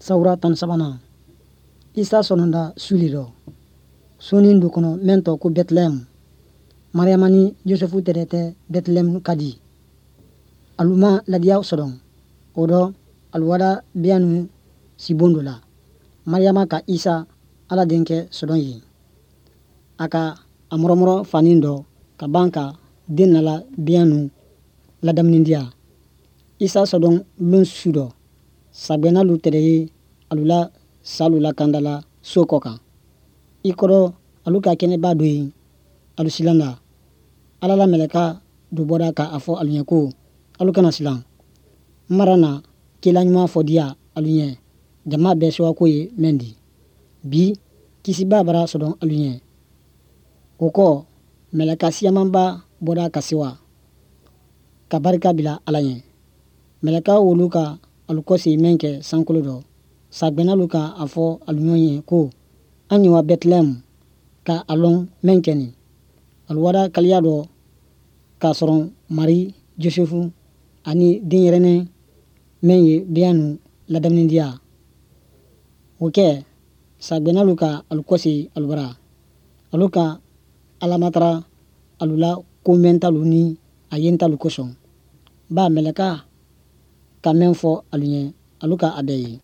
Sawura 13nan, Isa sɔdɔnda su le dɔ, sonin do kɔnɔ mɛn tɔ ko Bɛtilɛhɛmu. Mariyama ni Josefu tɛrɛ tɛ Bɛtilɛhɛmu ka di. Alu ma ladiya sɔdɔn. O dɔ, alu wada biyannu sibon dɔ la. Mariyama ka Isa, Ala denkɛ sɔdɔn yen. A ka a mɔrɔmɔrɔ fanin dɔ ka ban ka den nala biyannu ladamuni diya. Isa sɔdɔn lon su dɔ, sagbɛnnalu tɛrɛ ye alu la salu lakanda la so kɔ kan. I kɔrɔ alu ka kɛnɛba dɔ ye, alu silanda. Ala la mɛlɛka dɔ bɔra ka a fɔ alu ɲɛ ko, alu kana silan. N mara na kela ɲuman fɔ diya alu ɲɛ, jama bɛɛ sewako ye mɛn di. Bi, Kisiba bara sɔdɔn alu ɲɛ. O kɔ, mɛlɛka siyamanba bɔra ka sewa, ka barika bila Ala ɲɛ. Mɛlɛka wolu ka alu kɔsegi mɛn kɛ sankolo dɔ, sagbɛnnalu ka a fɔ alu ɲɔgɔn ye ko, an ye wa Bɛtilɛhɛmu ka a lɔn mɛn kɛ nin. Alu wada kaliya dɔ k'a sɔrɔ Mari, Josefu ani denyɛrɛnin mɛn ye biyannu ladamuni diya. O kɛ, sagbɛnnalu ka alu kɔsegi alu bara. Alu ka Ala matara alu la ko mɛntalu ni a yentalu kosɔn. Ba mɛlɛka ka mɛn fɔ alu ɲɛ, alu ka a bɛɛ ye.